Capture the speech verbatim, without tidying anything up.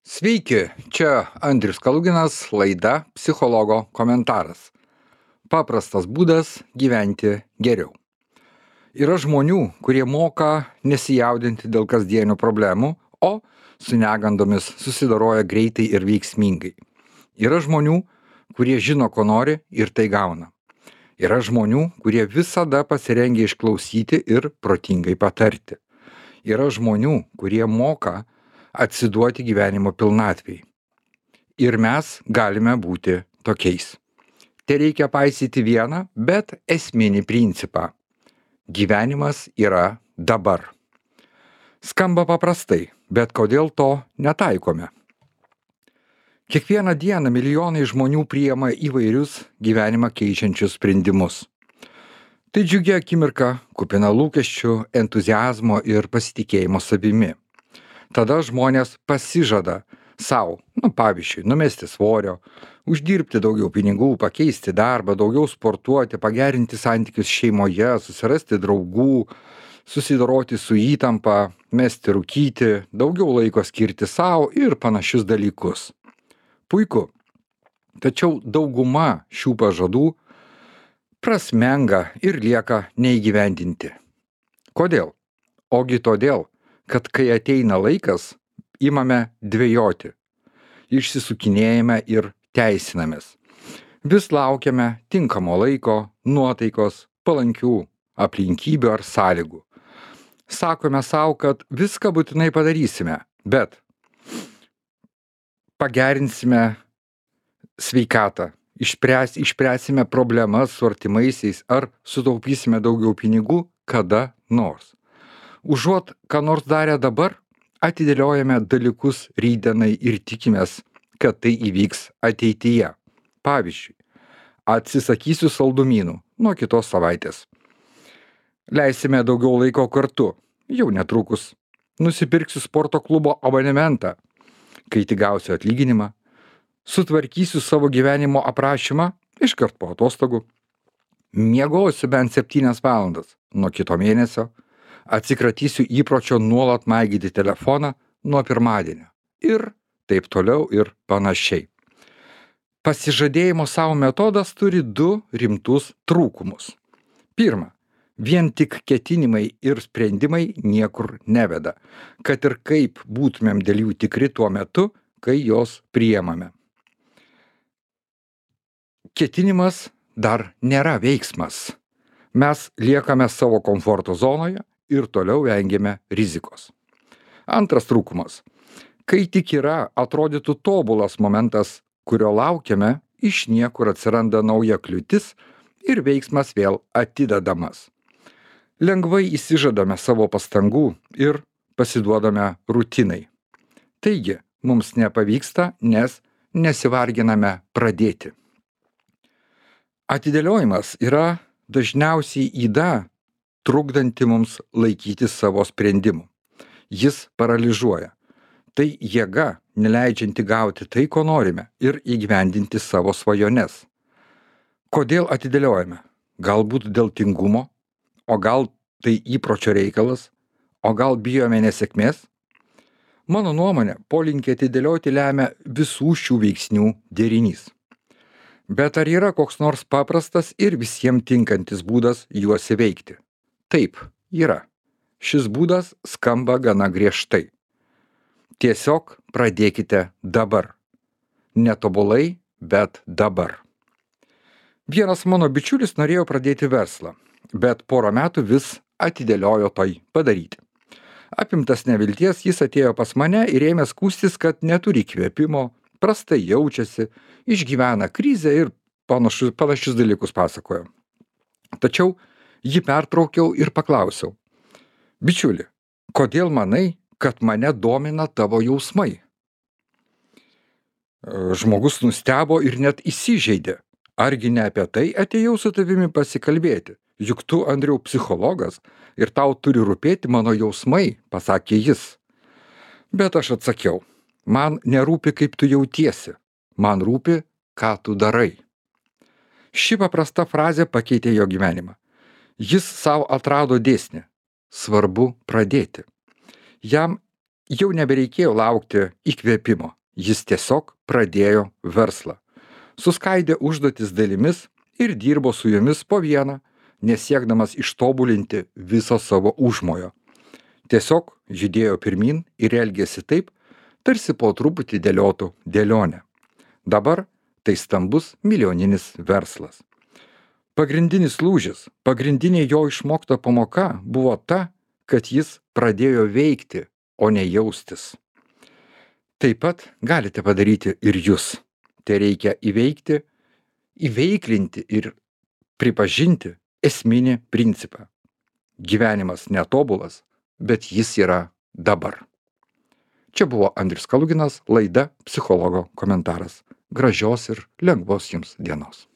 Sveiki, čia Andrius Kaluginas, laida Psichologo komentaras. Paprastas būdas gyventi geriau. Yra žmonių, kurie moka nesijaudinti dėl kasdienių problemų, o su negandomis susidoroja greitai ir veiksmingai. Yra žmonių, kurie žino, ko nori ir tai gauna. Yra žmonių, kurie visada pasirengia išklausyti ir protingai patarti. Yra žmonių, kurie moka atsiduoti gyvenimo pilnatvei. Ir mes galime būti tokiais. Te reikia paisyti vieną, bet esminį principą. Gyvenimas yra dabar. Skamba paprastai, bet kodėl to netaikome? Kiekvieną dieną milijonai žmonių priima įvairius gyvenimą keičiančius sprendimus. Tai džiugia akimirka, kupina lūkesčių, entuziazmo ir pasitikėjimo savimi. Tada žmonės pasižada savo, nu pavyzdžiui, numesti svorio, uždirbti daugiau pinigų, pakeisti darbą, daugiau sportuoti, pagerinti santykius šeimoje, susirasti draugų, susidoroti su įtampa, mesti rūkyti, daugiau laiko skirti savo ir panašius dalykus. Puiku. Tačiau dauguma šių pažadų prasmenga ir lieka neįgyvendinti. Kodėl? Ogi todėl, kad kai ateina laikas, imame dvejoti, išsisukinėjame ir teisinamės. Vis laukiame tinkamo laiko, nuotaikos, palankių aplinkybių ar sąlygų. Sakome savo, kad viską būtinai padarysime, bet pagerinsime sveikatą, išspręs, išspręsime problemas su artimaisiais ar sutaupysime daugiau pinigų kada nors. Užuot ką nors darę dabar, atidėliojame dalykus rytdienai ir tikimės, kad tai įvyks ateityje. Pavyzdžiui, atsisakysiu saldumynų nuo kitos savaitės. Leisime daugiau laiko kartu, jau netrukus. Nusipirksiu sporto klubo abonementą, kai tik gausiu atlyginimą. Sutvarkysiu savo gyvenimo aprašymą iškart po atostogų. Miegosiu bent septynias valandas nuo kito mėnesio. Atsikratysiu įpročio nuolat maigyti telefoną nuo pirmadienio. Ir taip toliau ir panašiai. Pasižadėjimo savo metodas turi du rimtus trūkumus. Pirma, vien tik ketinimai ir sprendimai niekur neveda, kad ir kaip būtumėm dėl jų tikri tuo metu, kai jos priemame. Ketinimas dar nėra veiksmas. Mes liekame savo komforto zonoje ir toliau vengiame rizikos. Antras trūkumas. Kai tik yra, atrodytų tobulas momentas, kurio laukiame, iš niekur atsiranda nauja kliūtis ir veiksmas vėl atidedamas. Lengvai įsižadame savo pastangų ir pasiduodame rutinai. Taigi, mums nepavyksta, nes nesivarginame pradėti. Atidėliojimas yra dažniausiai yda, trukdanti mums laikyti savo sprendimų. Jis paralyžuoja. Tai jėga, neleidžianti gauti tai, ko norime ir įgyvendinti savo svajones. Kodėl atidėliojame? Galbūt dėl tingumo, o gal tai įpročio reikalas, o gal bijome nesėkmės? Mano nuomonė, polinkį atidėlioti lemia visų šių veiksnių derinys. Bet ar yra koks nors paprastas ir visiems tinkantis būdas juos įveikti? Taip, yra. Šis būdas skamba gana griežtai. Tiesiog pradėkite dabar. Netobulai, bet dabar. Vienas mano bičiulis norėjo pradėti verslą, bet porą metų vis atidėliojo tai padaryti. Apimtas nevilties, jis atėjo pas mane ir ėmė skųstis, kad neturi įkvėpimo, prastai jaučiasi, išgyvena krizę ir panašius, panašius dalykus pasakojo. Tačiau jį pertraukiau ir paklausiau. Bičiuli, kodėl manai, kad mane domina tavo jausmai? Žmogus nustebo ir net įsižeidė. Argi ne apie tai atėjau su tavimi pasikalbėti? Juk tu, Andriau, psichologas ir tau turi rūpėti mano jausmai, pasakė jis. Bet aš atsakiau, man nerūpi, kaip tu jautiesi, man rūpi, ką tu darai. Ši paprasta frazė pakeitė jo gyvenimą. Jis savo atrado dėsnį. Svarbu pradėti. Jam Jau nebereikėjo laukti įkvėpimo. Jis tiesiog pradėjo verslą. Suskaidė užduotis dalimis ir dirbo su jomis po vieną, nesiekdamas ištobulinti viso savo užmojo. Tiesiog judėjo pirmyn ir elgėsi taip, tarsi po truputį dėliotų dėlionę. Dabar tai stambus milijoninis verslas. Pagrindinis lūžis, pagrindinė jo išmokta pamoka buvo ta, kad jis pradėjo veikti, o ne jaustis. Taip pat galite padaryti ir jūs. Tai reikia įveikti, įveiklinti ir pripažinti esminį principą. Gyvenimas netobulas, bet jis yra dabar. Čia buvo Andrius Kaluginas, laida Psichologo komentaras. Gražios ir lengvos jums dienos.